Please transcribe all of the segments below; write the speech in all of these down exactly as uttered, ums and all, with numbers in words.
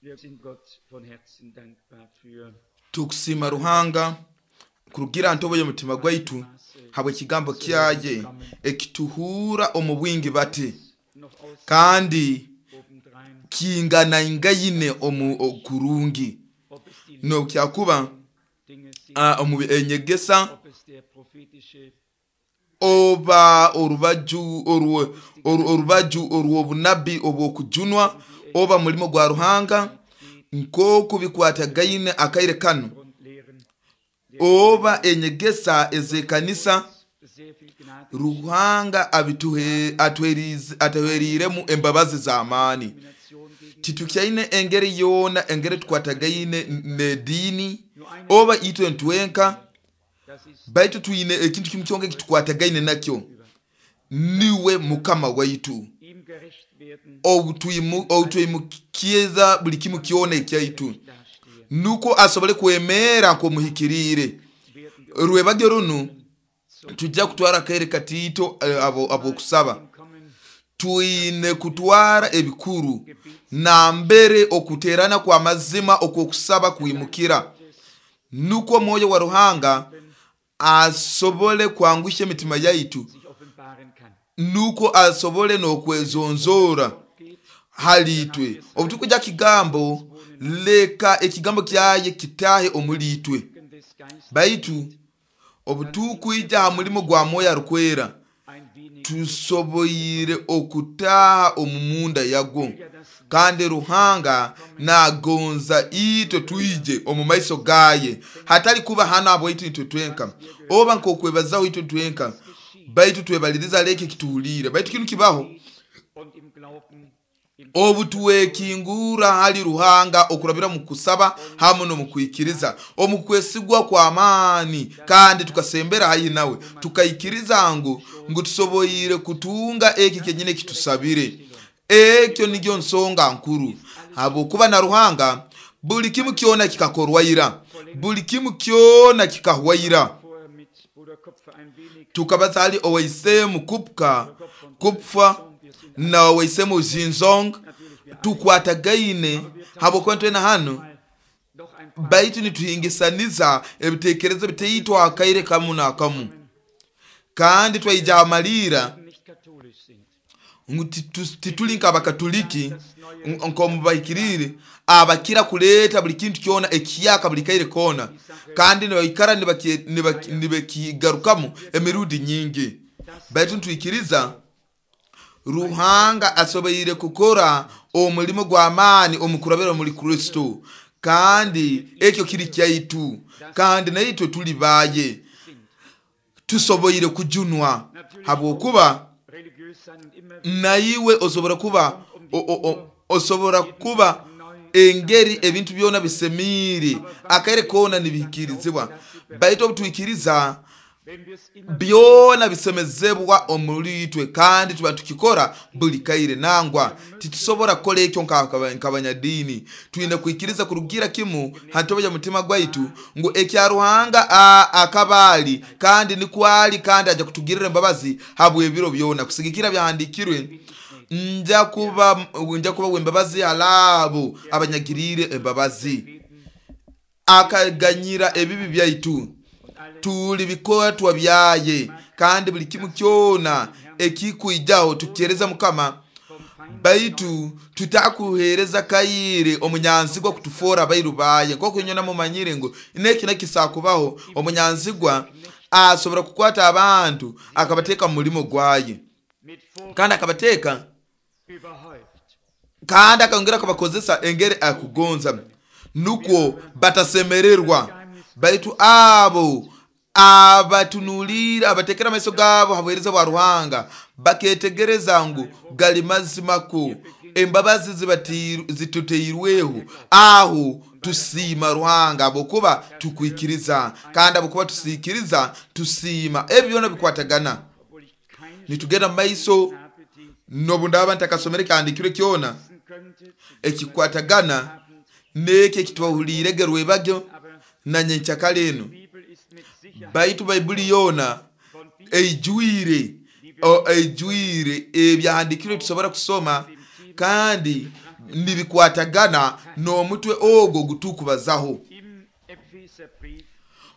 Wir sind Gott von Herzen dankbar für Tukusima Ruhanga kurugira ntobo y'omutima gwaitu habwe kigambo kyaye ekituhura omu bwingi bati noch aus kandi obendrein, kingana ingaine omu okurungi ob es die nokyakuba Dinge sind, ah, omu enyegesa ob es der prophetische oba orubaju orwo- oru- orubaju orw'obunabbi obw'okujunwa oba mulimo gwa Ruhanga nk'oku bikwatagaine akaire kanu Grundlehren, oba enyegesa ez'ekanisa sehr viel Gnade, Ruhanga abituhe atuherize atuheriremu embabazi z'amaani. Domination gegen Titukyaine engeri yoona engeri tukwatagaine n'ediini oba itwe ntwenka, das ist baitu twine ekintu kimu kyonka ekitukwatagaine nakyo, niwe Mukama waitu. ihm gerecht werden, Obu obutwimukiza buli kimu kyona ekyaitu, dastehen, nuko asobole kwemera nk'omuhikiriire. werden wir Rwebagyo runu tujja kutwara akaire katiito eh, abo ab'okusaba. kommen, Twine kutwara ebikuru nambere okuterana kwa mazima okw'okusaba kwimukira, nukwo omwoyo wa Ruhanga asobole kwangusha emitima yaitu, sich offenbaren kann. nuko asobole n'okwezonzoora Geht hali itwe. Obu tukuja kigambo, leka ekigambo kyaye kitahe omuli itwe. des Geistes Baitu obu tukwija ha mulimo gwa mwoyo arukwera, ein wenig tusoboire okutaha omu munda yagwo, kandi Ruhanga nagonza itwe twije omu maiso gaye, hatali kuba hano abwaitu itwe twenka oba nk'okwebazaho itwe twenka, baitu twebaliriza leke kituhuliire. Baitu kinu kibaho und im Glauben im obu twekingura hali Ruhanga okurabira mu kusaba hamu n'omu kwikiriza, omu kwesigwa kw'amaani, kandi tukasembera haihi nawe tukaikiriza ngu ngu tusoboire kutunga eki kenyine kitusabire. Ekyo nigyo nsonga nkuru, habwokuba na Ruhanga buli kimu kyona kikakorwaira, buli kimu kyona kikahwaira. vorher mit Bruder Kopfer ein wenig Tukabaza hali owaisemu Kupka Kupfa na owaisemu Zinzong, tukwatagaine habwokuba ntwena hano, noch ein paar baitu nituhingisaniza ebitekerezo bitaitwa akaire kamu n'akamu, kandi twaija amalira nicht katholisch sind. ngu titu- tituli nk'abakatoliki nk'omubahikiriire abakira kuleeta buli kintu kyona ekiyaka buli kaire koona, kandi nibaikara nibaki- nibaki- nibakigarukamu emirundi nyingi. Baitu nitwikiriza Ruhanga asoboire kukora omulimo gw'amaani omu kurabira omuli Kristo, kandi ekyo kiri kyaitu, kandi naitwe tuli baye, tusoboire kujunwa, habwokuba Religiös sein und immer naiwe osobora kuba o, o, o, osobora kuba engeri ebintu byona bisemiire akaire koona nibihikirizibwa, baitu obutwikiriza wenn wir es immer byona bisemezebwa omuli itwe, kandi tuba tukikora buli kaire. Nangwa titusobora kukola ekyo nka- nk'abanyadiini. Twine kwikiriza kurugira kimu hantobo ya mutima gwaitu ngu ekya Ruhanga a- akabaali kandi nikwali, kandi aja kutugirira embabazi habw'ebiro byona. Kusigikira byahandikirwe, nja kuba nja kuba w'embabazi halaabo abanyagiriire embabazi, akaganyira ebibi byaitu, tuli bikwatwa byaye, kandi buli kimu kyona ekikwijaho tukyereza Mukama. Baitu tutakuhereza kaire omunyanzigwa kutufoora abairu baye, nk'oku inywe mumanyire ngu neki nekisakubaho, omunyanzigwa asobora kukwata abantu akabateeka mu mulimo gwaye, mit Vor kandi akabateeka überhäuft. kandi akongera akabakozesa engeri akugonza, nukwo batasemererwa. Baitu abo abatunuliira abatekera amaiso gaabo ha buheereza bwa Ruhanga baketegereza ngu gali mazimako embabazi zibatiru- zituteirweho, aho tusiima Ruhanga habwokuba tukwikiriza, kandi habwokuba tusiikiriza tusiima. Ebyo byona bikwatagana. Obwohl ich keine Nitugenda mu maiso habe, die nobu ndaba ntakasomere kyandikirwe kyona wissen könnte, zu ekikwatagana n'ekyo ekitwahuliirege rwebagyo aber na nyenkyakara eno, die Bibel ist mit Sicherheit baitu Baibuli yoona von Bibel eijwire o- eijwire ebyahandikirwe tusobora kusoma, kandi nibikwatagana n'omutwe ogwo gutukubazaho.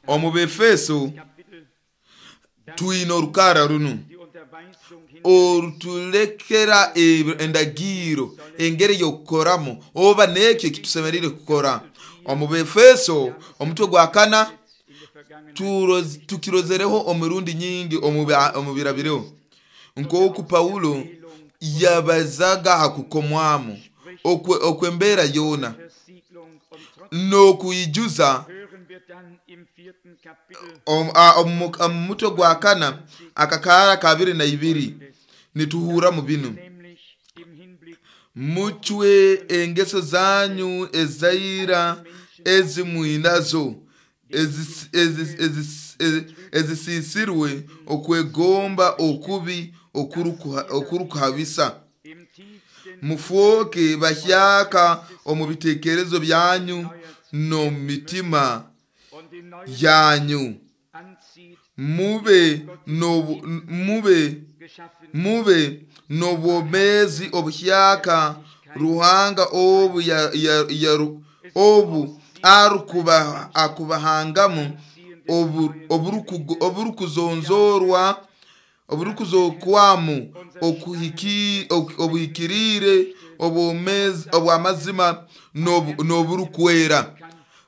Omu Befeso twine orukara runu orutulekera endagiro engeri y'okukoramu oba n'ekyo ekitusemeriire kukora. Omu Befeso omutwe gwa kana tukirozereho omurundi nyingi omu birabireho, nk'oku Paulo yabazaga ha kukomwamu okw'embeera yoona n'okwijuza. Omu mutwe gwa kana akakaara kabiri na ibiri nituhura mu binu: mucwe engeso zanyu ezaira ezimwinazo ezisisirwe okwegomba okubi okurukuhabisa, mufooke bahyaka omu bitekerezo byanyu n'omu mitima yanyu, mube mube mube n'obwomeezi obuhyaka Ruhanga obu obu arukuba akubahangamu oburukuzonzorwa oburukuzokwamu obuhikiriire obw'amazima n'oburukwera.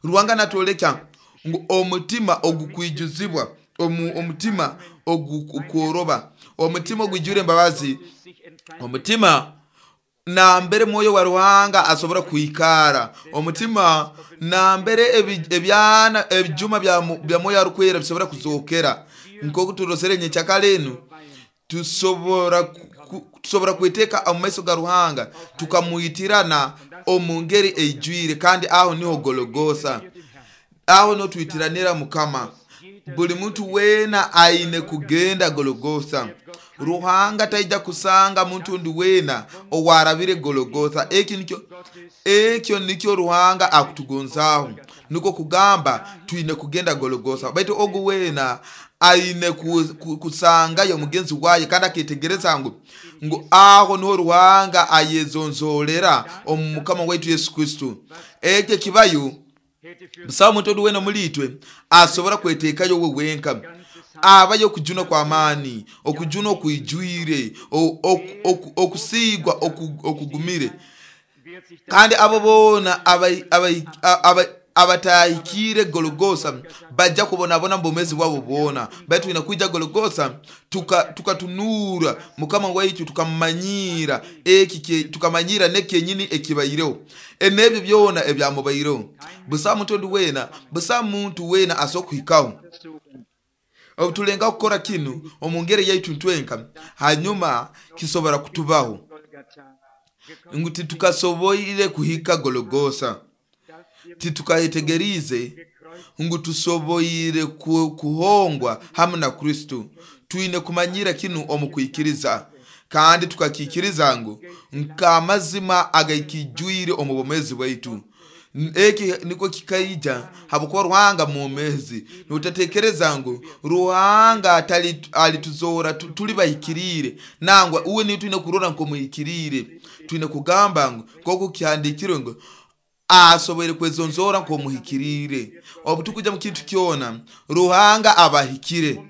Ruhanga natwoleka ngu omutima ogukwijuzibwa, omutima ogukworoba, omutima ogwijwire embabazi, omutima nambere mwoyo wa Ruhanga asobora kwikara, omutima nambere ebyana ebijuma bya mwoyo arukwera bisobora kuzokera. Nk'oku turosere nyenkyakara enu, tusobora tusobora kweteka omu maiso ga Ruhanga tukamwitirana omu ngeri eijwire, kandi aho niho Gologosa, aho niho twitiranira Mukama. Buli muntu weena aine kugenda Gologosa. Ruhanga taija kusanga muntu undi weena owarabire Gologosa. Ekyo nikyo ekyo nikyo Ruhanga akutugonzaho, niko kugamba twine kugenda Gologosa. Baitu ogu weena aine kusangayo mugenzi waye kandi aketegereza ngu ngu aho niho Ruhanga ayezonzolera omu Mukama waitu Yesu Kristo. Ekyo kibayo busaho muntu ondi weena omuli itwe asobora kwetekayo we wenka. Abayo okujuna kw'amaani, okujuna okwijwire, okusigwa okugumire, kandi abo boona abatahikire Gologosa bajja kubonabona mu bwomeezi bwabo bwona. Baitu twine kwija Gologosa tukatunura Mukama waitu, tukamanyira eki tukamanyira n'ekyenyini ekibaireho enebyo byona ebyamubaireho. Busaho muntu ondi weena, busaho muntu weena asobora kuhikaho. Obu tulengaho kukora kinu omu ngeri yaitu ntwenka, hanyuma kisobora kutubaho ngu titukasoboire kuhika Gologosa, titukayetegerize ngu tusoboire kuhongwa hamu na Kristo. Twine kumanyira kinu omu kwikiriza, kandi tukakikiriza ngu nk'amazima agakijwire omu bwomeezi bwaitu. Eki niko kikaija habwokuba Ruhanga mwomezi. Nutatekereza ngu Ruhanga alituzora tuli bahikiriire, nangwa uwe niyo twine kurora nk'omuhikiriire. Twine kugamba ngu nk'oku kihandikirwe ngu asoboire kwezonzora nk'omuhikiriire. Obu tukuja mu kintu kyona, Ruhanga abahikire.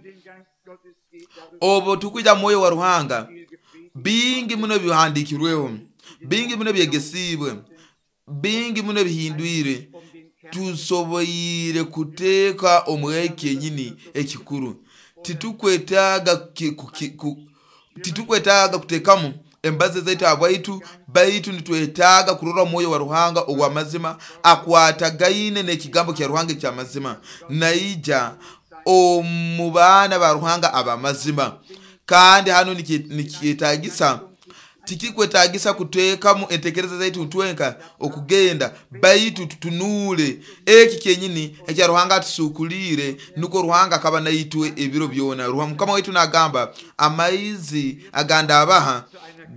Obu tukuja mwoyo wa Ruhanga, bingi muno bihandikirweho, bingi muno byegesibwe, bingi muno bihindwire. Tusoboire kuteeka omweki kenyini ekikuru. Titukwetaaga titukwetaaga kuteekamu embazi zaitu abwaitu, baitu nitwetaaga kurora mwoyo wa Ruhanga ow'amazima akwatagaine n'ekigambo kya Ruhanga eky'amazima, naija omu baana ba Ruhanga ab'amazima. Kandi hano nikyetagisa tikikwetagisa kuteekamu entekereza zaitu ntwenka okugenda, baitu tutunule eki kyenyini ekya Ruhanga atusukulire, nuko Ruhanga akaba naitwe ebiro byona. Mukama waitu nagamba, amaizi agandabaha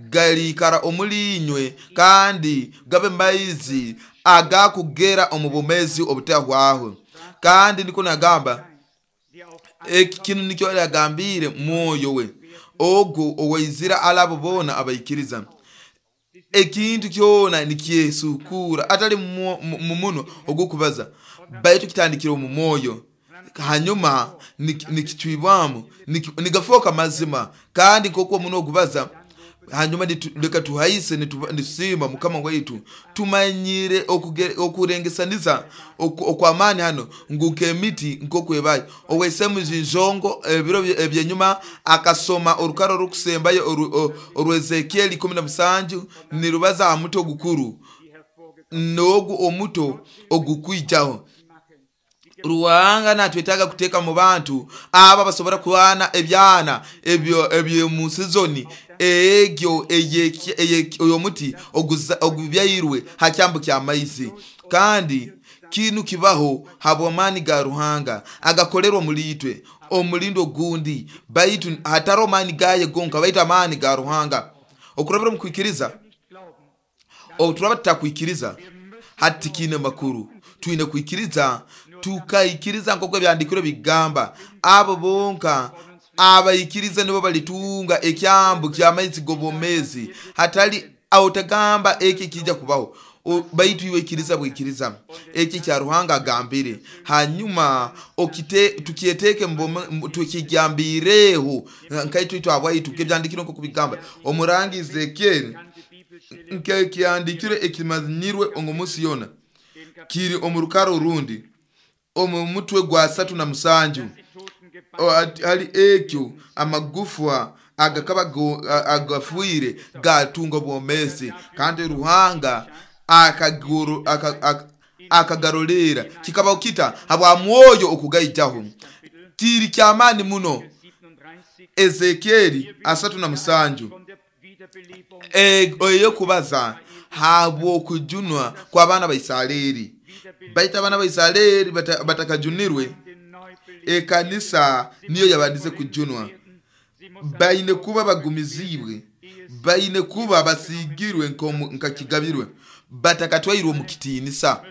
galikara omuli inywe, kandi gabe maizi agakugera omu bwomezi obutahwaho. Kandi niko nagamba eki kinu nikyo yagambire mwoyo we ogu owaizira alabo boona abaikiriza. Ekintu kyona nikyesukura atali mu munwa ogukubaza, baitu kitandikire omu mwoyo, hanyuma nikicwibwamu nigafoka mazima. Kandi nk'oku omunwa ogubaza, hanyuma leka tuhaise nitusiima Mukama waitu. Tumanyire okurengesaniza okw'amaani hano ngu nk'emiti nk'okwebayo. Owaisemu Zinjongo ebiro ebyenyuma akasoma orukaro orukusembayo orwa Ezekieli ikumi na musanju nirubaza aha muti ogukuru n'ogu omuto ogukwijaho. Ruhanga natwetaaga kuteeka mu bantu aba basobora kuhana ebyana ebyo ebyo sizoni egyo ey'omuti ogubyairwe ha kyambu ky'amaizi. Kandi kinu kibaho habw'amaani ga Ruhanga agakolerwa omuli itwe omulindo ogundi, baitu hataro maani gaye gonka, baitu amaani ga Ruhanga okurabira omu kwikiriza. Obu turaba tutakwikiriza hati tikiine makuru. Twine kwikiriza, tukaikiriza nk'oku ebyandikirwe bigamba, abo bonka abaikiriza nibo balitunga ekyambu ky'amaizi g'obwomezi. Hatali otagamba eki kijja kubaho, baitu iwe ikiriza bwikiriza eki kya Ruhanga agambire, hanyuma okite tukyeteke tukigambireho nkaitu itwe abwaitu kebyandikirwe nk'oku bigamba. Omurangi Ezekieli nkekyandikirwe ekimanyirwe omu yona kiri omu rukaro orundi omu mutwe gwa satu na musanju hali ekyo amagufwa agakaba agafuire gatunga obwomezi, kandi Ruhanga akagarolera. Kikabaho kita habwa mwoyo okugaijaho. Kiri kyamaani muno. Ezekieli asatu na musanju eyokubaza habw'okujunwa kw'abaana ba Isareri. Baitu abaana ba Isareri batakajunirwe, ekanisa niyo yabandize kujunwa. Baine kuba bagumizibwe, baine kuba basigirwe nkakigabirwe, batakatwairwe omu kitiinisa.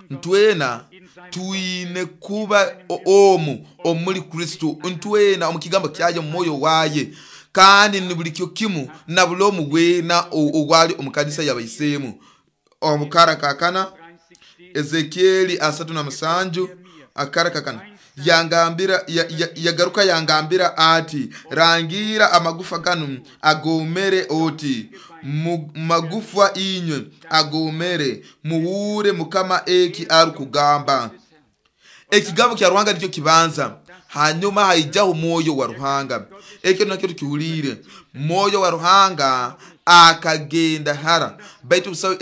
Ntwena twine kuba omu omuli Kristo, ntwena omu kigambo kyaye, omu mwoyo waye, kandi ni buli kyo kimu na buli omu weena ogwali omu kanisa y'abaisemu. Omukara kakana Ezekieli asatu na musanju akara kakana yangambira yagaruka yangambira ati, rangira amagufa ganu agomere oti, magufa inywe agomere, muhure Mukama eki arukugamba. Ekigambo kya Ruhanga nikyo kibanza, hanyuma haijaho mwoyo wa Ruhanga. Ekyo nakyo tukihuliire. Mwoyo wa Ruhanga akagenda hara, baitu busaho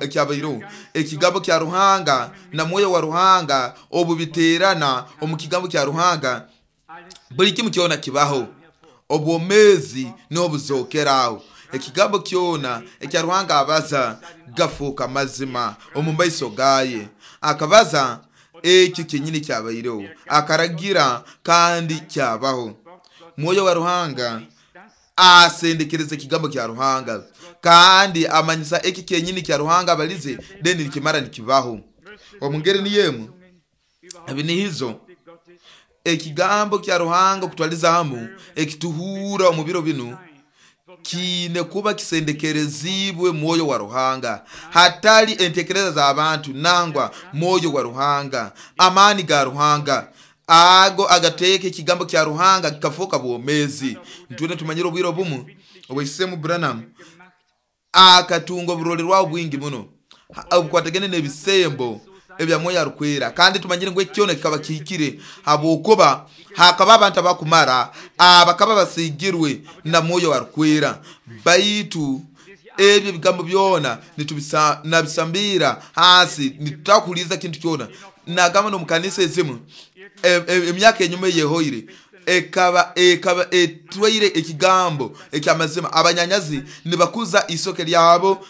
ekyabaireho. Ekigambo kya Ruhanga na mwoyo wa Ruhanga obu biterana omu kigambo kya Ruhanga, buli kimu kyona kibaho. Obwomezi n'obuzokeraho. Ekigambo kyona ekya Ruhanga abaza gafuuka mazima omu maiso gaye. Akabaza ekyo kyenyini kyabaireho, akaragira kandi kyabaho. Mwoyo wa Ruhanga asendekereza ekigambo kya Ruhanga kandi amanyisa eki kyenyini kya Ruhanga abalize, deni nikimara nikibaho. Omungeri niyemu ebinihizo ekigambo kya Ruhanga kutwaliza hamu ekituhura omu biro binu kiine kuba kisendekerezibwe mwoyo wa Ruhanga, hatali entekereza z'abantu, nangwa mwoyo wa Ruhanga, amaani ga Ruhanga ago agateeka ekigambo kya Ruhanga kikafuuka bwomezi. Ntwena tumanyire obwire obumu owaisemu Branham akatunga oburolerwaho bwingi muno obukwatagene n'ebisembo ebya mwoyo arukwera, kandi tumanyire ngu ekyona kikaba kihikire habwokuba hakaba abantu abakumara abakaba basigirwe na mwoyo arukwera. Baitu ebyo bigambo byona nitubisambira hasi, nitutakuliza kintu kyona. Nagamba n'omukanisa ezimu emyaka enyuma eyehoire ekaba ekaba etwaire ekigambo ekyamazima. Abanyanyazi nibakuza isoke lyabo,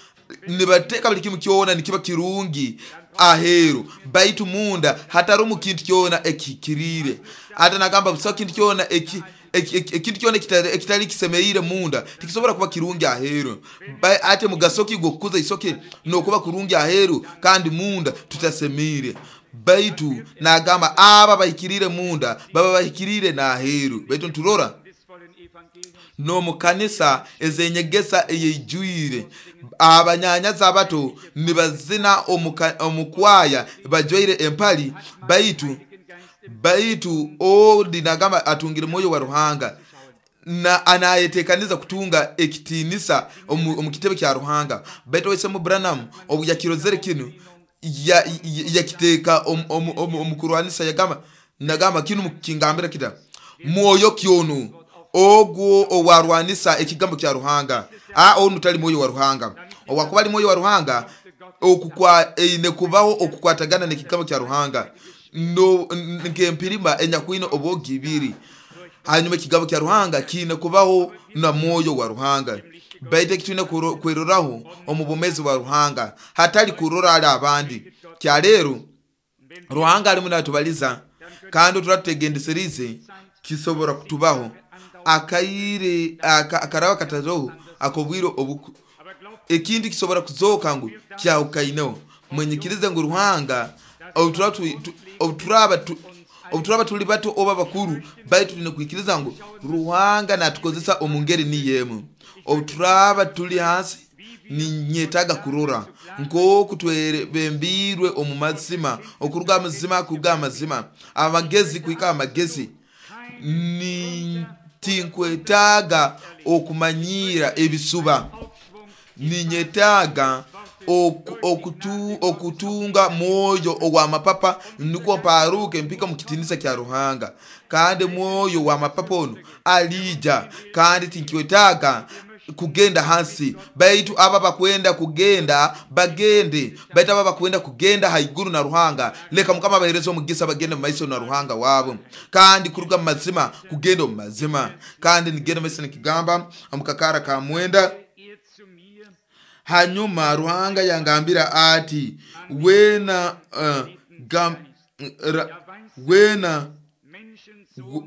nibateka buli kimu kyona nikiba kirungi aheru, baitu munda hatarumu kintu kyona ekikirire. Ate nagamba busaho kintu kyona eki ekintu kyona ekitali kisemeire munda tikisobora kuba kirungi aheru. Ate mugaso ki gwokukuza isoke nokuba kurungi aheru kandi munda tutasemire? Baitu nagamba aba bahikirire munda baba bahikirire n'aheru. Baitu nturora N'omu kanisa ez'enyegesa eyeijwire abanyanyazi abato nibazina omu kwaya bajwaire empali, baitu baitu ondi nagamba atungire mwoyo wa Ruhanga na anayetekaniza kutunga ekitinisa omu kitebe kya Ruhanga. Baitu Oisemu Branham obu yakirozere kinu yakiteeka omu kurwanisa, yagamba nagamba kinu kingambira kita mwoyo kyonu ogwo owarwanisa ekigambo kya Ruhanga. A onu tali mwoyo wa Ruhanga. Owakuba ali mwoyo wa Ruhanga okukwa eine kubaho okukwatagana n'ekigambo kya Ruhanga no nk'empirima enyakwine obwogi ibiri. Hanyuma ekigambo kya Ruhanga kiine kubaho na mwoyo wa Ruhanga. Baitu ekitwine kweroraho omu bumezi bwa Ruhanga, hatali kurora ali abandi. Kya leero Ruhanga alimu natubaliza kandi turatutegendeserize kisobora kutubaho akaire akaraba kataroho akobwire obu ekindi kisobora kuzoka ngu kyahukaineho. Mwenyikirize ngu Ruhanga obuturaba obuturaba tuli bato oba bakuru, baitu tulina kwikiriza ngu Ruhanga natukozesa omu ngeri niyo emu. Obuturaba tuli hansi ninyetaga kurora nk'oku twebembirwe omu mazima, okuruga amazima kuruga amazima, amagezi kuhika amagezi. Tinkwetaaga okumanyira ebisuba, ninyetaaga okutu, okutunga mwoyo ow'amapapa nukwo mparuke mpika mu kitinisa kya Ruhanga. Kandi mwoyo w'amapapa onu alija, kandi tinkwetaaga kugenda hansi, baitu aba bakwenda kugenda bagende, baitu aba bakwenda kugenda haiguru na Ruhanga, leka Mukama abahereze omugisa bagende mu maiso na Ruhanga wabo, kandi kuruga mu mazima kugenda omu mazima. Kandi nigenda maiso nikigamba omukakara ka mwenda. Hanyuma Ruhanga yangambira ati wena uh, gam, ra, wena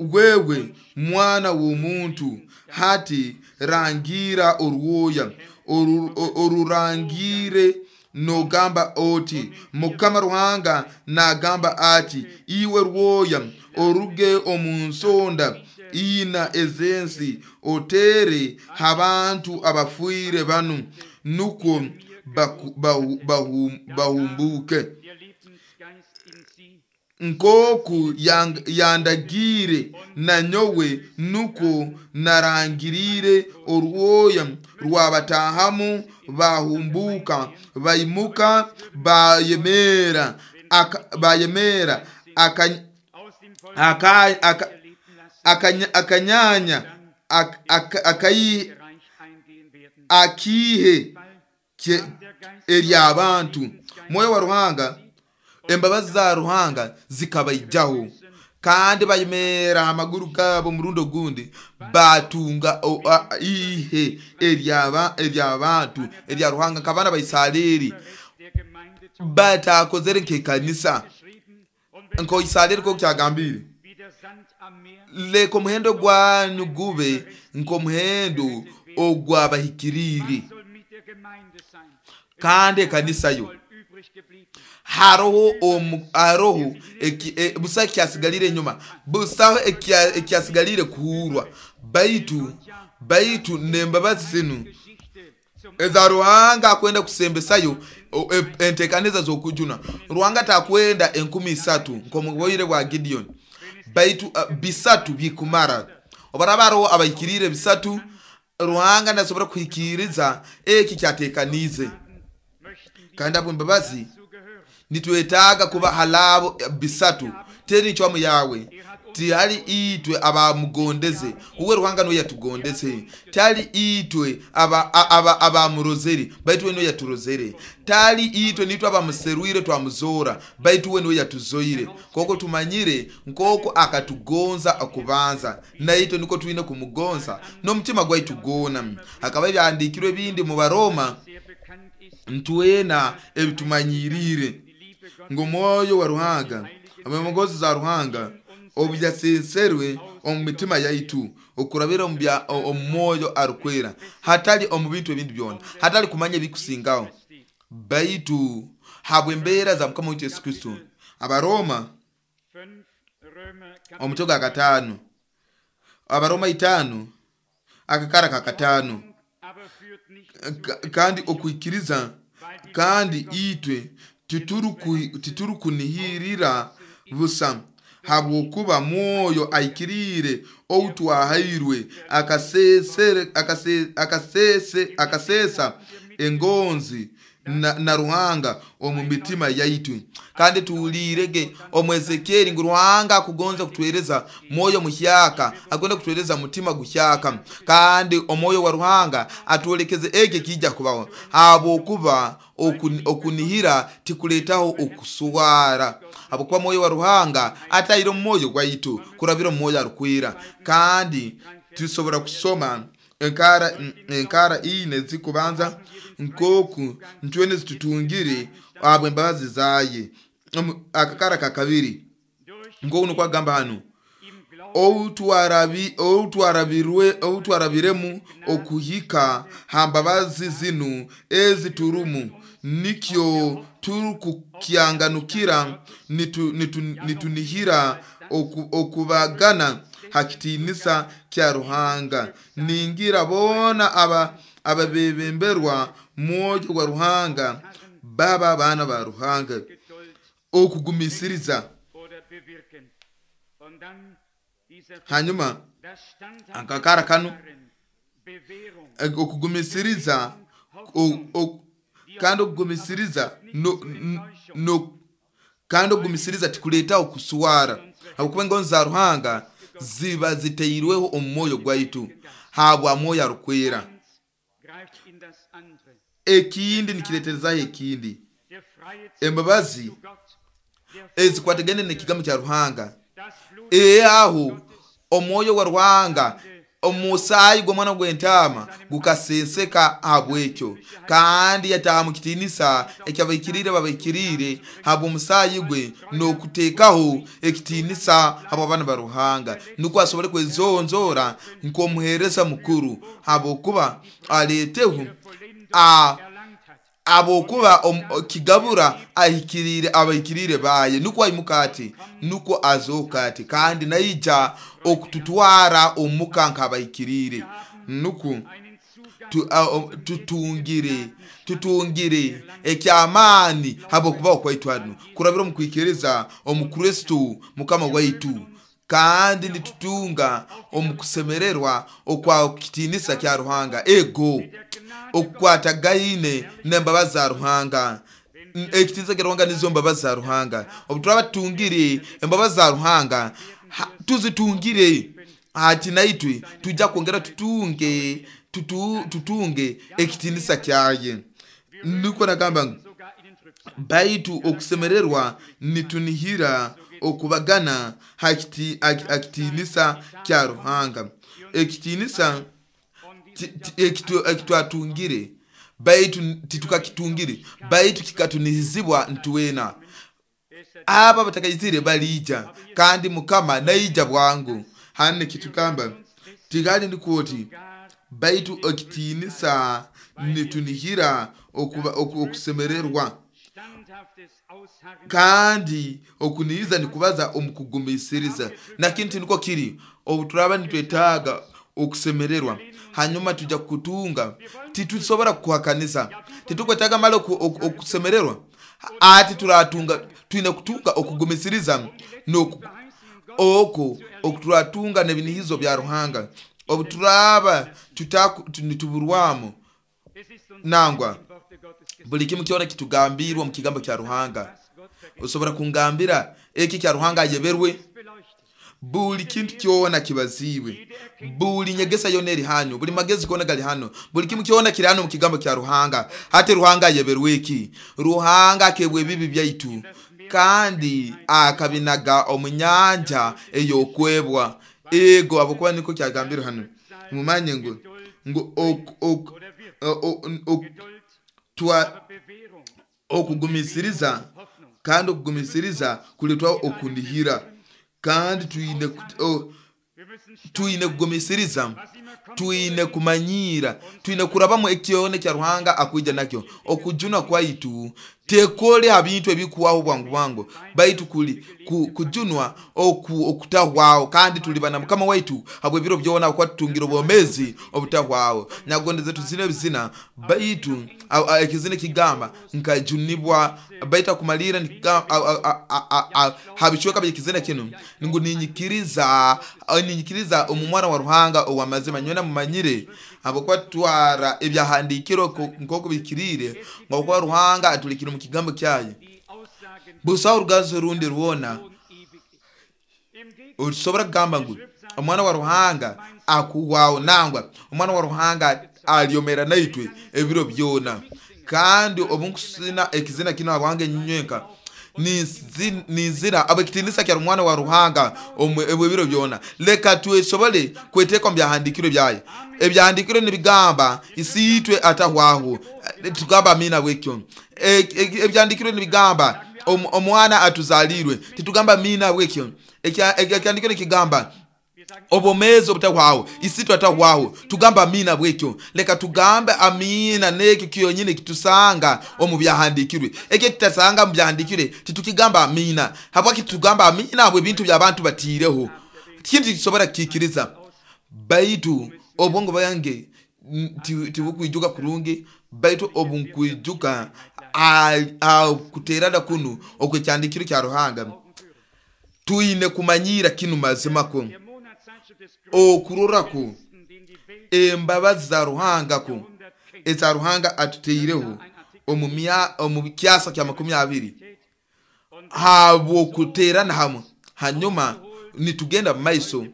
wewe mwana w'omuntu, hati rangira orwoya orurangire nogamba oti Mukama Ruhanga nagamba ati iwe rwoya oruge omu nsonda ina ezensi otere habantu abafuire banu nukwo bahumbuke nkoku yandagire nanyowe, nukwo narangirire orwoya rwabatahamu bahumbuka baimuka bayemera bayemera akanyanya akihe eryabantu. Mwoyo wa Ruhanga, embabazi za Ruhanga zikabaijaho kandi bayemera amaguru gabo murundo gundi batunga ihe eryaba eryabantu erya Ruhanga nk'abaana ba Isareri batakozere nk'ekanisa nko Isareri ko kyagambire leka omuhendo gwanyu gube nk'omuhendo ogw'abahikiriire. Kandi ekanisa yo haroho haroho busa ekyasigalire enyuma, busaho ekyasigalire kuhurwa, baitu baitu n'embabazi zinu eza Ruhanga akwenda kusembesayo entekaniza z'okujuna. Ruhanga takwenda enkumi isatu nk'omu bwa Gideon, baitu bisatu bikumara. Obaraba haroho abahikiriire bisatu, Ruhanga nasobora kuhikiriza eki kyatekanize. Kandi abo embabazi nitwetaaga kuba halabo bisatu. Teri ncwamu yawe, tihali itwe abamugondeze, uwe Ruhanga niwe yatugondeze. Tali itwe abamurozere, aba, baitu we niwe yaturozere. Tali itwe nitwe abamuserwire twamuzora, baitu we niwe yatuzoire. Koko tumanyire nkoko akatugonza akubanza, naitwe niko twine kumugonza n'omutima gwaitu gwona. Hakaba ebyandikirwe ebindi mu Baroma ntwena ebitumanyirire ngo mwoyo wa Ruhanga amemongozi za Ruhanga obuyasenserwe omu mitima yaitu okurabira omu mwoyo arukwera, hatali omu bintu ebindi byona, hatali kumanya ebikusingaho, baitu habw'embeera za Mukama waitu Yesu Kristo. Abaroma omutwe gwa gatano, Abaroma itano Akakara kakataano Hoffnung aber führt nicht zu Ka- kandi okwikiriza weil die kandi Liebe Gottes itwe tituruku- titurukunihirira busa habwokuba mwoyo aikiriire ou twahairwe akasesere- akase- akasese- akasesa engonzi na, na Ruhanga omu mitima yaitu. Kandi tuwulirege omu Ezekieli ngu Ruhanga akugonza kutuhereza mwoyo muhyaka, agenda kutuhereza mutima guhyaka, kandi omwoyo wa Ruhanga atwolekeze ekyo kijja kubaho, habwokuba okun- okunihira tikuletaho okuswara, habwokuba mwoyo wa Ruhanga ataire omu mwoyo gwaitu kurabira omu mwoyo arukwira. Kandi tusobora kusoma enkara enkara ine zikubanza nkoku ntwene zitutungire habw'embabazi zaye. Omu- akakara kakabiri durch nkoku nukwo agamba hanu im Glauben outwarabi outwarabirwe outwarabiremu okuhika ha mbabazi zinu eziturumu nikyo turukukyanganukira nitu, nitu, nitunihira oku, okubagana ha kitiinisa kya Ruhanga. Ningira boona aba ababebemberwa mwoyo wa Ruhanga baba baana ba Ruhanga. Geduld Okugumisiriza oder bewirken. Und dann dieser hanyuma das standhafte akakara kano Harren, Bewährung, eh, okugumisiriza o- o- kandi okugumisiriza no, n- no, kandi okugumisiriza tikuletaho kuswara, habwokuba engonzi za Ruhanga ziba ziteirweho omu mwoyo gwaitu habwa mwoyo arukwera. eins greift in das andere. Ekindi nikireterezaho ekindi Der freie embabazi zu Gott, der ezikwatagene n'ekigambo kya Ruhanga das Blut ee aho omwoyo wa Ruhanga omusaayi gw'omwana gw'entaama gukasenseka habwekyo, kandi yataha mu kitiinisa ekyabaikiriire babaikiriire habw'omusaayi gwe n'okuteekaho ekitiinisa habw'abaana ba Ruhanga, nukwo asobole kwezonzoora nk'omuheereza mukuru, habwokuba aleeteho Vollendung a erlangt hat. abokuba om- kigabura ahikiriire abahikiriire baye, nukwo aimuka ati nukwo azooka ati kandi naija okututwara omuka nk'abahikiriire, nukwo Einen Zugang tu, a, o, tutungire tutungire ekyamaani habwokubaho kwaitu hanu kurabira omu kwikiriza omu Kristo mukama waitu, kandi nitutunga omu kusemererwa okwa kitiinisa kya Ruhanga. Ego der Gnade okukwatagaine n'embabazi za Ruhanga. N- ekitiinisa kya Ruhanga nizo mbabazi za Ruhanga. Obu turaba tutungire embabazi za Ruhanga ha- tuzitungire ati naitwe tujja kwongera tutunge tutu, tutunge ekitiinisa kyaye. Nukwo nagamba ngu sogar in den Trübsal. baitu okusemererwa nitunihira okubagana ha kiti- ha- ha kitiinisa kya Ruhanga. Ekitiinisa Und ti- ti- ekitu- ekitwatungire baitu titukakitungire baitu kikatunihizibwa ntuwena. Aba batakayizire balija kandi mukama naija bwangu. Hane kitugamba tigali ndikuoti gar baitu ekitiinisa nitunihira okuba- oku- okusemererwa standhaftes Ausharren kandi okunihiza nikubaza omu kugumisiriza. Nakintu niko kiri obu turaba nitwetaaga okusemererwa hanyuma tujja kutunga, titusobora kuhakanisa, titukwetaaga mali oku- oku- okusemererwa ati turatunga, twine kutunga okugumisiriza n'oku verheißung Gottes oko okuturatunga n'ebinihizo bya Ruhanga. Obu turaba tutaku- tu- nituburwamu Es ist uns nangwa im Worte Gottes gesagt, buli kimu kyona kitugambirwa omu kigambo kya Ruhanga. was Gott vergessen Osobora kungambira eki kya Ruhanga ayeberwe beleuchtet. buli kintu kyona kibaziibwe, buli nyegesa yona eri hano, buli magezi gona gali hano, buli kimu kyona kiri hano mu kigambo kya Ruhanga. Hati Ruhanga ayeberwe eki? Ruhanga akebwa ebibi byaitu kandi akabinaga omu nyanja ey'okwebwa. Ego habwokuba niko kyagambirwe hano. Mumanye ngu ngu ok, ok, Oder wird o- o- ok, Geduld, twa aber Bewährung, okugumisiriza Hoffnung. kandi okugumisiriza kuletwaho okunihira, kandi twine kut- o- Wir müssen twine kugumisiriza, was immer kommt, twine kumanyiira, twine kurabamu ekyona kya Ruhanga akwija nakyo. Okujuna kwaitu Tekole ha bintu ebikuwaho bwangu bwangu, baitu kuli kujunwa oku okutahwaho, kandi tuliba na Mukama waitu habw'ebiro byona okuba tutungira obwomezi obutahwaho. Nyagondeze tuzine ebizina, baitu ekizina kigamba nkajunibwa, baitu akumalira habicweka by'ekizina kinu ngu ninyikiriza ninyikiriza omu mwana wa Ruhanga ow'amazima. Nywena mumanyire habwokuba tutwara ebyahandiikirwe nk'oku bikiriire, ngokuba Ruhanga atulikire mu kigambo kyaye. Busaho orugazo rundi rwona otusobora kugamba ngu omwana wa Ruhanga akuhwaho, nangwa omwana wa Ruhanga alyomera naitwe ebiro byona. Kandi obunkusina ekizina kino habwange nywenka ninzira abwekitinisa kya mwana wa Ruhanga ebiro byona. Leka twesobole kweteeka omu byahandiikirwe byaye. Ebyahandiikirwe nibigamba isiitwe atahwaho, tugamba amina bwekyo. Ebyahandiikirwe nibigamba omwana atuzalirwe, titugamba amina bwekyo. Ekyahandiikirwe nikigamba obomezi obutahwaho, isitwe atahwaho, tugamba amina bwekyo. Leka tugambe amina nekyo kyonyine kitusanga omu byahandiikirwe. Ekyo kitasanga mu byahandiikirwe titukigamba amina. Habwaki tugamba amina? Habwe ebintu by'abantu batiireho, kintu tikisobora kukikiriza. Baitu obwongo bwange tibukwijuka kurungi, baitu obunkwijuka kuterana kunu okwekyandiikirwe kya Ruhanga. Twine kumanyira kinu mazima ko okurorako embabazi za Ruhanga ko eza Ruhanga atuteireho omu kyasa kya makumi abiri habwokuterana hamwe. Hanyuma nitugenda mu maiso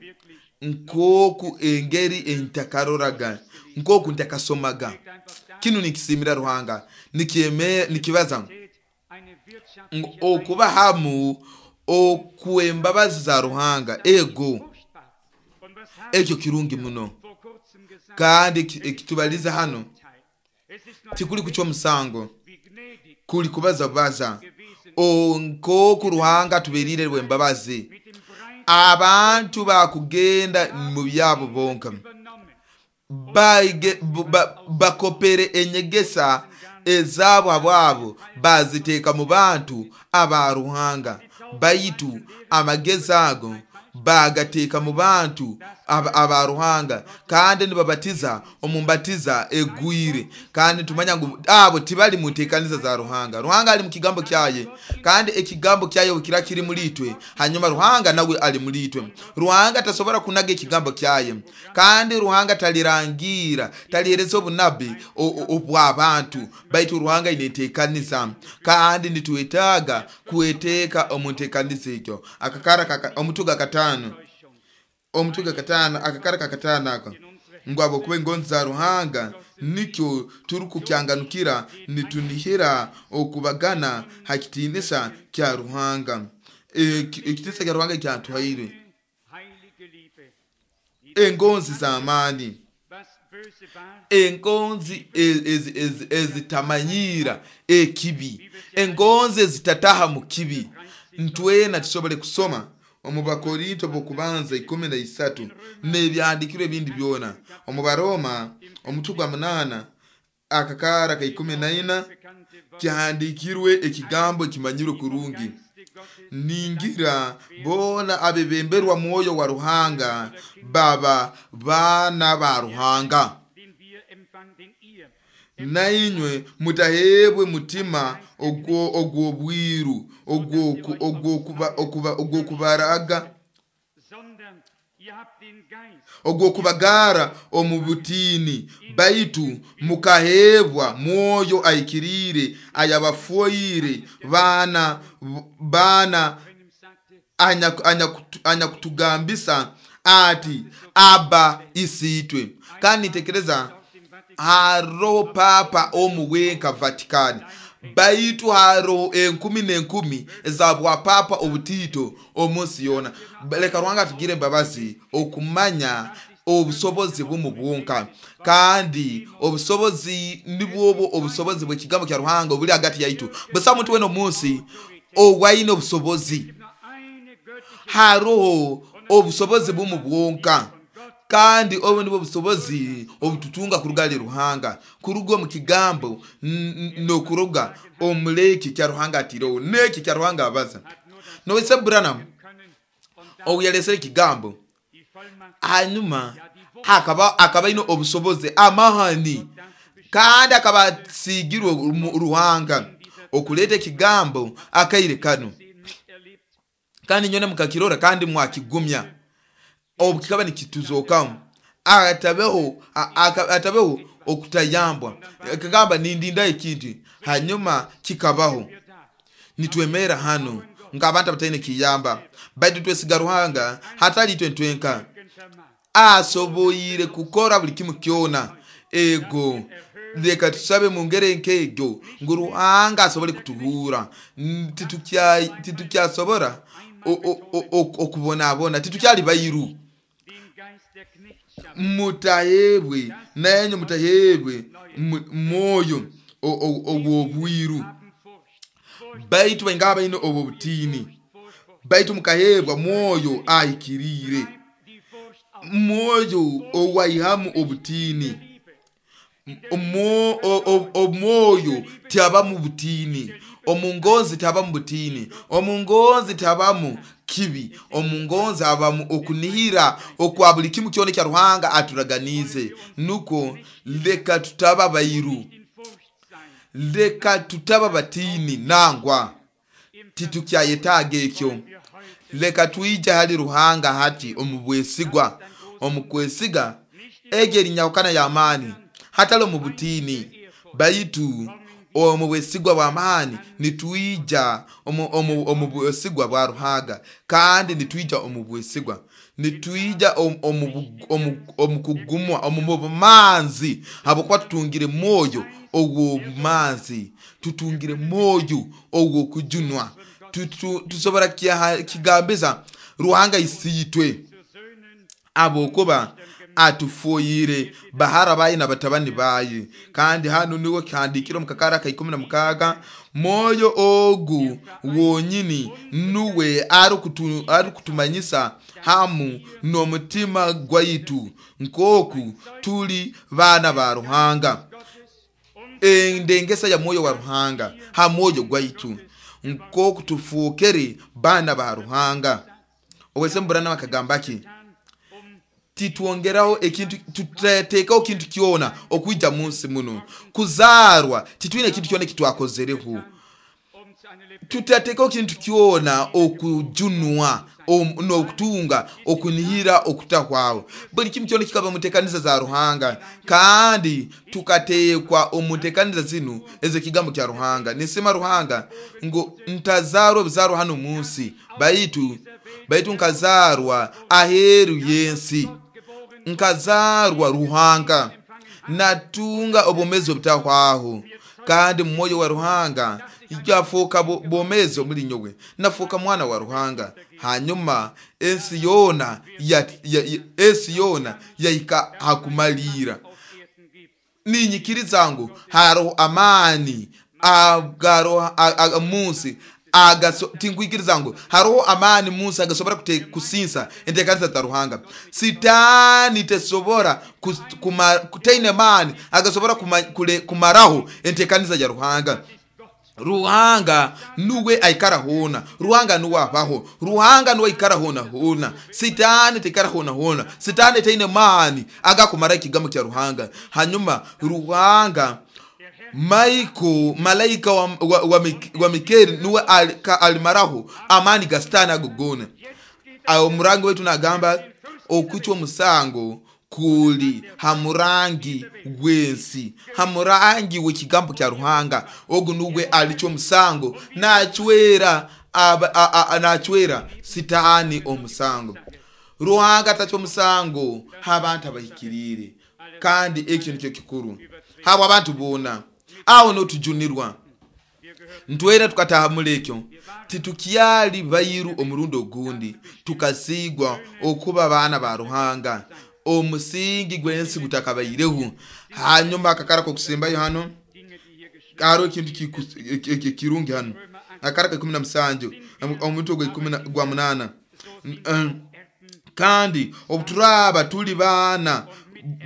nkoku engeri entakaroraga, nkoku ntakasomaga. Kinu nikisimira Ruhanga, nikieme nikibaza okuba hamu okwembabazi za Ruhanga. Ego ekyo kirungi muno, kandi ekitubaliza hano tikuli kuchwa musango, kuli kubaza baza nkoku Ruhanga tuberire bwembabazi. Abantu bakugenda mu byabo bonka bakopere enyegesa ezabo abwabo baziteeka mu bantu aba Ruhanga, baitu amagezi ago bagateeka mu bantu aba Ruhanga, kandi nibabatiza omumbatiza egwire. Kandi tumanya ngu abo tibali muteekaniza za Ruhanga. Ruhanga ali mu kigambo kyaye, kandi ekigambo kyaye kira kiri mulitwe, hanyuma Ruhanga nawe ali mulitwe. Ruhanga tasobora kunaga ekigambo kyaye, kandi Ruhanga talirangira talihereza obunabi obw'abantu, baitu Ruhanga ineteekaniza, kandi nitwetaaga kweteeka omu nteekaniza ekyo. Akakara omutuga katano omutuga katano akakara kakatano ako ngu abokuba engonzi za Ruhanga nikyo turukukyanganukira, nitunihira okubagana ha kitinisa kya Ruhanga. Ekitinisa kya Ruhanga kyatuhaire engonzi z'amaani, engonzi ezitamanyira ekibi, engonzi ezitataha mu kibi. Ntwena tusobole kusoma omu Bakorinto b'okubanza ikumi na isatu n'ebyahandiikirwe ebindi byona, omu Baroma omutwe gwa munana akakara ka ikumi na ina kihandikirwe ekigambo ekimanyirwe kurungi, ningira bona abebemberwa mwoyo wa Ruhanga baba bana ba Ruhanga. Nainywe mutahebwe mutima ogw'obwiru ogw'okubaraga ogw'okubagara omu butini, baitu mukahebwa mwoyo aikirire ayabafoire bana bana anyakutugambisa ati Aba isitwe. Kandi nitekereza haroho papa omu wenka Vatikani, baitu haroho enkumi n'enkumi ezabwa papa obutito omunsi yona. Leka Ruhanga atugire embabazi okumanya obusobozi bumu bwonka, kandi obusobozi nibwobo obusobozi bw'ekigambo kya Ruhanga obuli hagati yaitu. Busa muntu wena omunsi owaine obusobozi, haroho obusobozi bumu bwonka, Kandi obu nibwo busobozi obututunga kuruga hali Ruhanga, kuruga omu kigambo n'okuruga omuleki kya Ruhanga atireho n'eki kya Ruhanga abaza. Nowese Branham obu yalesere ekigambo, hanyuma akaba akaba aine obusobozi amahani, kandi akaba asigirwe Ruhanga okuleeta ekigambo akaire kano, kandi nyona mukakirora kandi mwakigumya obu kikaba nikituzokamu. Atabeho atabeho okutayambwa, akagamba nindinda ekintu, hanyuma kikabaho. Nitwemera hano nk'abantu abataine kiyamba, baitu twesiga Ruhanga hatali itwe ntwenka. Asoboire kukora buli kimu kyona. Ego leka tusabe mu ngeri nk'egyo ngu Ruhanga asobole kutuhura. Titukyasobora okubonabona, titukyali bairu. Mutahebwe nanyu mutahebwe mwoyo ogw'obwiru, baitu baingaha baine obwo butiini, baitu mukahebwa mwoyo ahikiriire, mwoyo owaihamu obutiini. Omwoyo tiabamu butiini, omungonzi tiabamu butiini, omungonzi tiabamu kibi, omungonzi abamu okunihira okwa buli kimu kyona kya Ruhanga aturaganize. Nuko leka tutaba bairu, leka tutaba batini nangwa, titukyayetaaga ekyo. Leka twije hali Ruhanga hati omu bwesigwa, omu kwesiga egi erinyahukana y'amaani, hatali omu butiini, baitu omu bwesigwa bw'amaani. Nitwija omu bwesigwa bwa Ruhanga, kandi nitwija omu bwesigwa, nitwija omu kugumwa, omu bumanzi, habwokuba tutungire mwoyo ogw'obumanzi, tutungire mwoyo ogw'okujunwa. Tusobora kigambiza Ruhanga isiitwe, abokuba atufoyire bahara baye na batabani baye. Kandi hano niwo kihandikire omu kakara ka ikumi na mukaaga, mwoyo ogu wonyini nuwe arikutumanyisa hamu n'omutima gwaitu nk'oku tuli baana ba Ruhanga. Endengesa ya mwoyo wa Ruhanga ha mwoyo gwaitu nk'oku tufuukere baana ba Ruhanga. Owese Branham akagamba ki? Titwongeraho ekintu, tutateekaho kintu kyona okwija munsi muno kuzarwa, titwine ekintu kyona ekitwakozereho. Tutateekaho kintu kyona okujunwa n'okutunga okunihira okutahwaho. Buli kimu kyona kikaba mu nteekaniza za Ruhanga, kandi tukateekwa omu nteekaniza zinu ez'ekigambo kya Ruhanga. Nisima Ruhanga ngu ntazarwa obuzarwa hano munsi, baitu baitu nkazarwa aheeru y'ensi, nkazarwa Ruhanga, natunga obwomezi obutahwaho, kandi mwoyo wa Ruhanga yafuuka bwomezi omuli nyowe, nafuuka mwana wa Ruhanga. Hanyuma ensi yoona ensi yoona yahika hakumalira. Ninyikiriza ngu hariho amaani agaro munsi agaso, tinkwikiriza ngu hariho amaani munsi agasobora kusinsa enteekaniza za Ruhanga. Sitaani tesobora kutaine maani agasobora kumaraho enteekaniza ya Ruhanga. Ruhanga nuwe aikara hona, Ruhanga nuwe abaho, Ruhanga nuwe aikara hona hona. Sitaani tekara hona hona, Sitaani taine maani agakumara ekigambo kya Ruhanga. Hanyuma Ruhanga Maiko malaika wa, wa, wa, wa Mikeli nuwe alimaraho amani ga Sitaani ago gona. Awo murangi wetu nagamba okuchwa omusango kuli hamurangi gwensi, hamurangi w'ekigambo kya Ruhanga. Ogu nuwe alicwa omusango, nachwera nachwera Sitaani omusango. Ruhanga atacwa omusango h'abantu abahikiriire, kandi ekyo nikyo kikuru habo abantu boona. Aho notujunirwa ntwera tukataha muri ekyo, titukyali bairu omurundi ogundi, tukasigwa okuba baana ba Ruhanga omusingi gw'ensi gutakabaireho. Hanyuma akakara kokusembayo hano hariho ekintu kirungi hano, akara ka ikumi na musanju omutwe gwa ikumi gwa munaana. Kandi obuturaba tuli baana,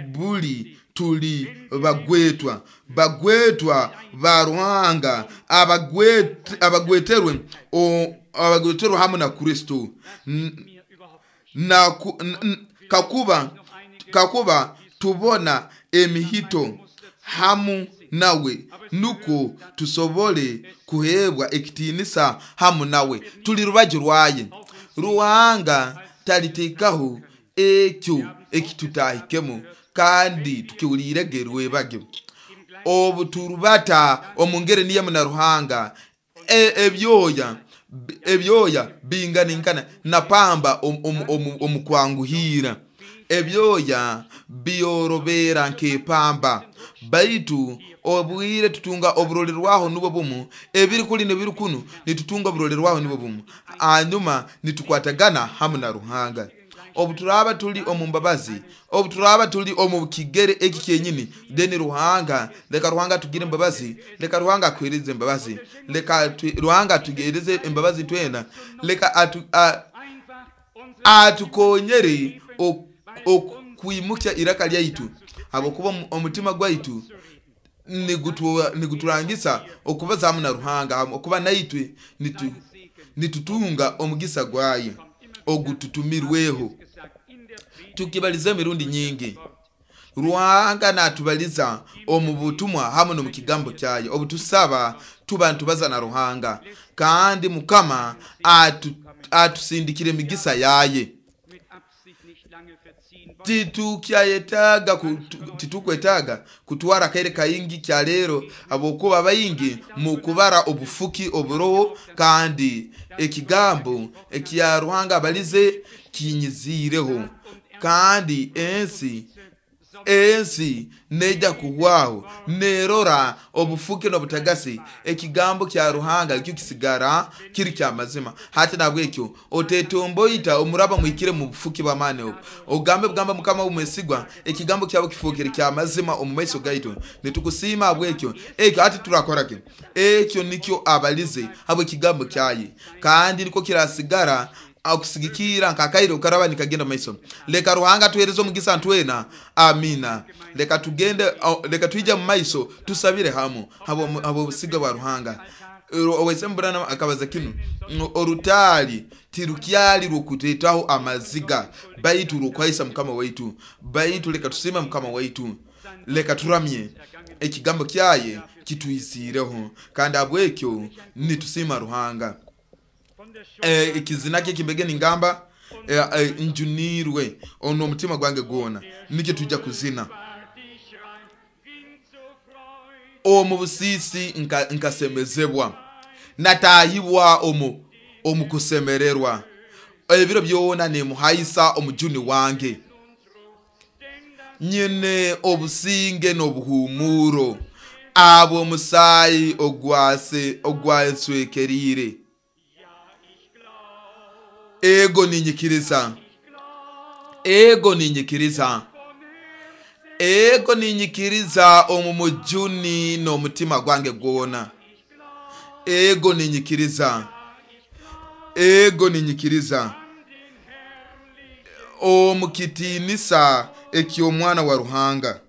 buli tuli bagwetwa, bagwetwa ba Ruhanga, abagweterwe abagweterwe hamu na Kristo. Na kakuba kakuba tubona emihito hamu nawe, nuko tusobole kuhebwa ekitinisa hamu nawe. Tuli rubaju rwaye. Ruhanga talitekaho ekyo ekitutahikemo, kandi tukiwulirege rwebage. Obu turubata omu ngeri niyo na Ruhanga, ebyoya ebyoya binganinkana na pamba omu kwanguhira. Ebyoya byorobera nk'epamba, baitu obwire tutunga oburolerwaho nubwo bumu, ebiri kuli nebiri kunu nitutunga oburolerwaho nubwo bumu, hanyuma nitukwatagana hamu na Ruhanga. Obuturaba tuli omu mbabazi, obuturaba tuli omu kigere eki kyenyini, deni Ruhanga, leka Ruhanga tugire embabazi, leka Ruhanga akuhereze embabazi, leka Ruhanga atugereze embabazi twena, leka atu, atukonyere okwimukya iraka lyaitu, habwokuba omutima gwaitu niguturangisa okubaza hamu na Ruhanga, okuba naitwe nitu, nitutunga omugisa gwaye ogututumirweho. Tukibaliza emirundi nyingi, Ruhanga natubaliza omu butumwa hamu no mukigambo kyaye. Obutusaba tuba ntubaza na Ruhanga, kandi Mukama atu, atusindikire emigisa yaye. Titukyayetaga titukwetaga kutwara kaire kaingi kya lero, abokuba baingi mukubara obufuki oburoho, kandi ekigambo ekya Ruhanga balize kinyizireho, kandi ensi ensi neja kuhwaho nerora obufuki n'obutagasi. Ekigambo kya Ruhanga ekyo kisigara kiri kya mazima. Hati nabwekyo otetomboita omuraba muhikire mu bufuki bw'amaani obwo, ogambe bugamba Mukama omwesigwa, ekigambo kyabo kifukire kya mazima omu maiso gaitu. Nitukusiima abwekyo ekyo. Hati turakora ki? Ekyo nikyo abalize habwe ekigambo kyaye, kandi niko kirasigara akusigikira nkakaire ukaraba nikagenda maiso. Leka Ruhanga tuhereze omugisa ntwena. Amina. Leka tugende, leka twije mu maiso tusabire hamu habo habo busiga bwa Ruhanga. Owesembura akabaza kinu, orutali tirukyali rwokutetaho amaziga, baitu rwokwaisa Mukama waitu. Baitu leka tusime Mukama waitu, leka turamye ekigambo kyaye kituisireho, kandi abwekyo nitusima Ruhanga. Ekizina kye kimbege ningamba njunirwe ono omutima gwange gwona, nikyo tujja kuzina. Omu busisi nkasemezebwa, natahibwa omu omu kusemererwa, ebiro byona nimuhaisa omujuni wange. Nyine obusinge n'obuhumuro abo omusaayi ogwase ogwaswekerire. Ego ninyikiriza, ego ninyikiriza, ego ninyikiriza omu mujuni n'omutima gwange gwona. Ego ninyikiriza, ego ninyikiriza omu kitinisa eky'omwana wa Ruhanga.